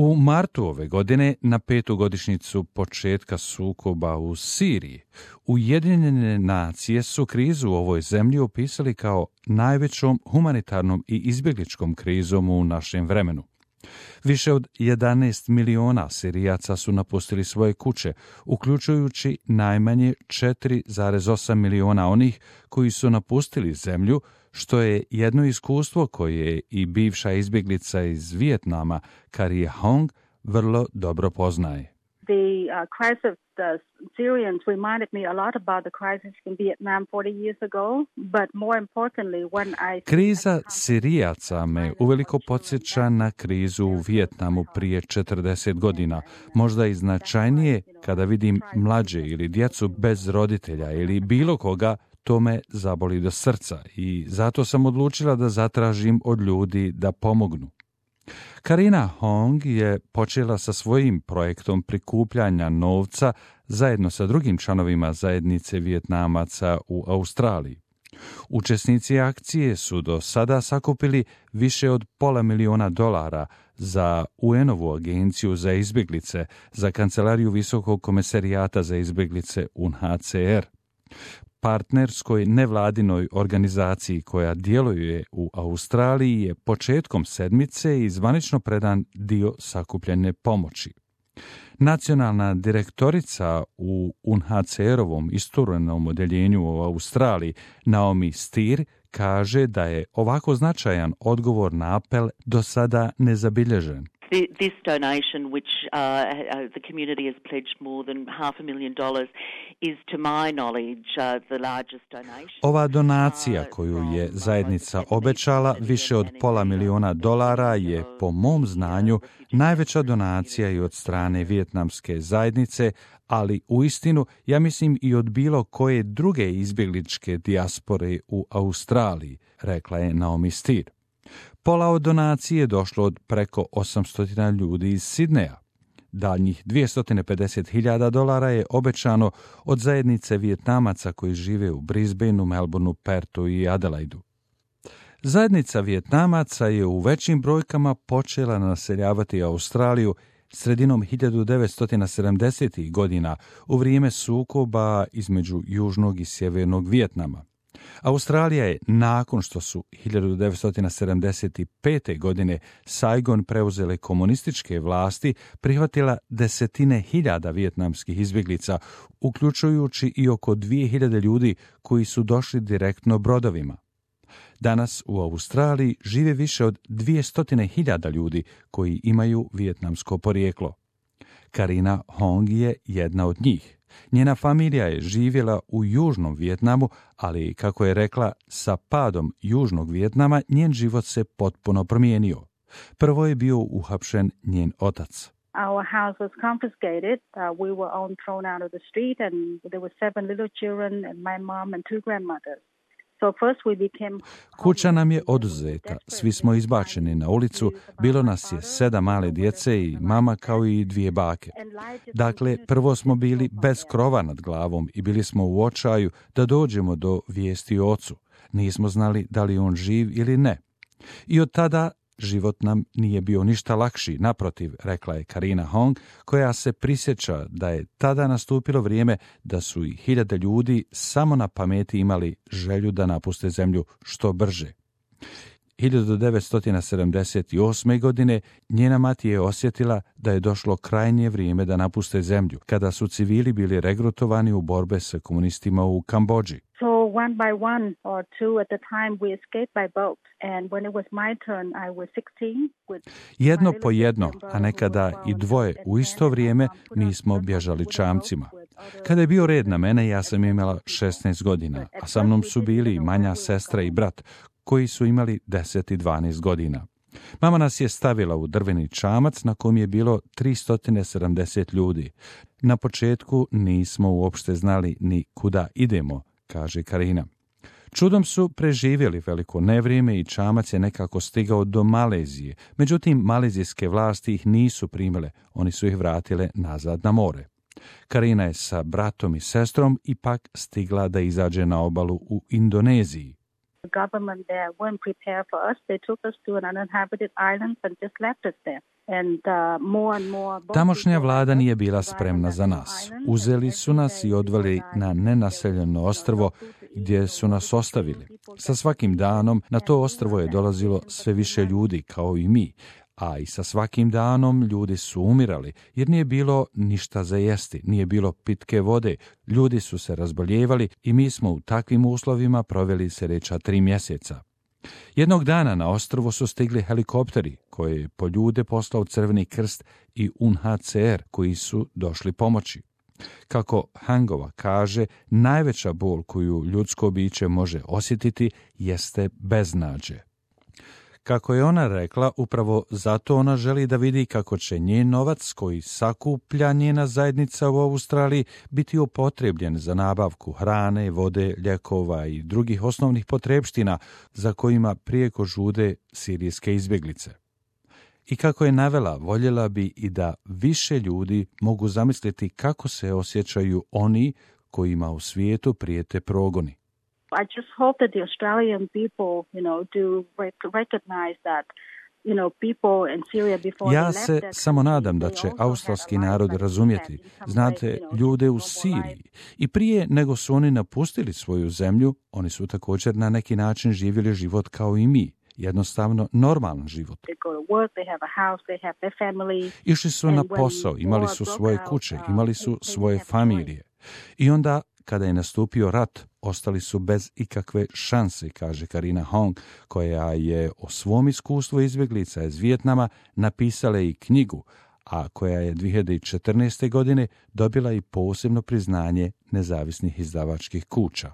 U martu ove godine, na 5. godišnjicu početka sukoba u Siriji, Ujedinjene nacije su krizu u ovoj zemlji opisali kao najvećom humanitarnom i izbjegličkom krizom u našem vremenu. Više od 11 miliona Sirijaca su napustili svoje kuće, uključujući najmanje 4,8 miliona onih koji su napustili zemlju, što je jedno iskustvo koje i bivša izbjeglica iz Vijetnama, Carina Hong, vrlo dobro poznaje. The crisis of the Syrians reminded me a lot about the crisis in Vietnam 40 years ago, but more importantly when I... Kriza Sirijaca me uveliko podsjeća na krizu u Vijetnamu prije 40 godina, možda i značajnije kada vidim mlađe ili djecu bez roditelja ili bilo koga, to me zaboli do srca i zato sam odlučila da zatražim od ljudi da pomognu. Carina Hong je počela sa svojim projektom prikupljanja novca zajedno sa drugim članovima zajednice Vijetnamaca u Australiji. Učesnici akcije su do sada sakupili više od $500,000 za UN-ovu agenciju za izbjeglice, za kancelariju Visokog komesarijata za izbjeglice UNHCR. Partnerskoj nevladinoj organizaciji koja djeluje u Australiji je početkom sedmice i zvanično predan dio sakupljene pomoći. Nacionalna direktorica u UNHCR-ovom isturenom odjeljenju u Australiji, Naomi Steer, kaže da je ovako značajan odgovor na apel do sada nezabilježen. This donation, which the community has pledged more than $500,000, is to my knowledge the largest donation. Ova donacija koju je zajednica obećala, više od $500,000, je po mom znanju najveća donacija i od strane vijetnamske zajednice, ali uistinu, ja mislim i od bilo koje druge izbjegličke dijaspore u Australiji, rekla je Naomi Steer. Pola od donacije došlo od preko 800 ljudi iz Sidneja. Daljnjih $250,000 je obećano od zajednice Vijetnamaca koji žive u Brisbaneu, Melbourneu, Perthu i Adelaidu. Zajednica Vijetnamaca je u većim brojkama počela naseljavati Australiju sredinom 1970. godina u vrijeme sukoba između južnog i sjevernog Vijetnama. Australija je, nakon što su 1975. godine Saigon preuzele komunističke vlasti, prihvatila desetine hiljada vijetnamskih izbjeglica, uključujući i oko 2000 ljudi koji su došli direktno brodovima. Danas u Australiji žive više od 200.000 ljudi koji imaju vijetnamsko porijeklo. Carina Hong je jedna od njih. Njena familija je živjela u južnom Vijetnamu, ali, kako je rekla, sa padom južnog Vijetnama njen život se potpuno promijenio. Prvo je bio uhapšen njen otac. Our house was confiscated. We were all thrown out of the street and there were 7 little children and my mom and 2 grandmothers. Kuća nam je oduzeta, svi smo izbačeni na ulicu, bilo nas je 7 male djece i mama kao i 2 bake. Dakle, prvo smo bili bez krova nad glavom i bili smo u očaju da dođemo do vijesti o ocu. Nismo znali da li on živ ili ne. I od tada život nam nije bio ništa lakši, naprotiv, rekla je Carina Hong, koja se prisjeća da je tada nastupilo vrijeme da su i hiljade ljudi samo na pameti imali želju da napuste zemlju što brže. 1978. godine njena mati je osjetila da je došlo krajnje vrijeme da napuste zemlju, kada su civili bili regrutovani u borbe sa komunistima u Kambodži. So one by one or two at the time we escaped by boat and when it was my turn I was 16. Jedno po jedno, a nekada i dvoje u isto vrijeme mi smo bježali čamcima. Kada je bio red na mene, ja sam imala 16 godina, a sa mnom su bili manja sestra i brat, koji su imali 10 i 12 godina. Mama nas je stavila u drveni čamac na kom je bilo 370 ljudi. Na početku nismo uopšte znali ni kuda idemo, kaže Carina. Čudom su preživjeli veliko nevrijeme i čamac je nekako stigao do Malezije. Međutim, malezijske vlasti ih nisu primile, oni su ih vratile nazad na more. Carina je sa bratom i sestrom ipak stigla da izađe na obalu u Indoneziji. The government there weren't prepared for us. They took us to an uninhabited island and just left us there. Tamošnja vlada nije bila spremna za nas. Uzeli su nas i odveli na nenaseljeno ostrvo gdje su nas ostavili. Sa svakim danom na to ostrvo je dolazilo sve više ljudi kao i mi, a i sa svakim danom ljudi su umirali jer nije bilo ništa za jesti, nije bilo pitke vode, ljudi su se razboljevali i mi smo u takvim uslovima proveli sljedeća 3 mjeseca. Jednog dana na ostrvo su stigli helikopteri koje je po ljude poslao Crveni krst i UNHCR koji su došli pomoći. Kako Hangova kaže, najveća bol koju ljudsko biće može osjetiti jeste beznađe. Kako je ona rekla, upravo zato ona želi da vidi kako će njen novac koji sakuplja njena zajednica u Australiji biti upotrebljen za nabavku hrane, vode, lijekova i drugih osnovnih potrepština za kojima prijeko žude sirijske izbjeglice. I kako je navela, voljela bi i da više ljudi mogu zamisliti kako se osjećaju oni kojima u svijetu prijete progoni. I just hope that the Australian people, do recognize that, people in Syria before Ja se samo nadam da će australski narod razumjeti. Znate, ljude u Siriji i prije nego su oni napustili svoju zemlju, oni su također na neki način živjeli život kao i mi. Jednostavno normalan život. Išli su na posao, imali su svoje kuće, imali su svoje familije. I onda, kada je nastupio rat, ostali su bez ikakve šanse, kaže Karina Hong, koja je o svom iskustvu izbjeglica iz Vijetnama napisala i knjigu, a koja je 2014. godine dobila i posebno priznanje nezavisnih izdavačkih kuća.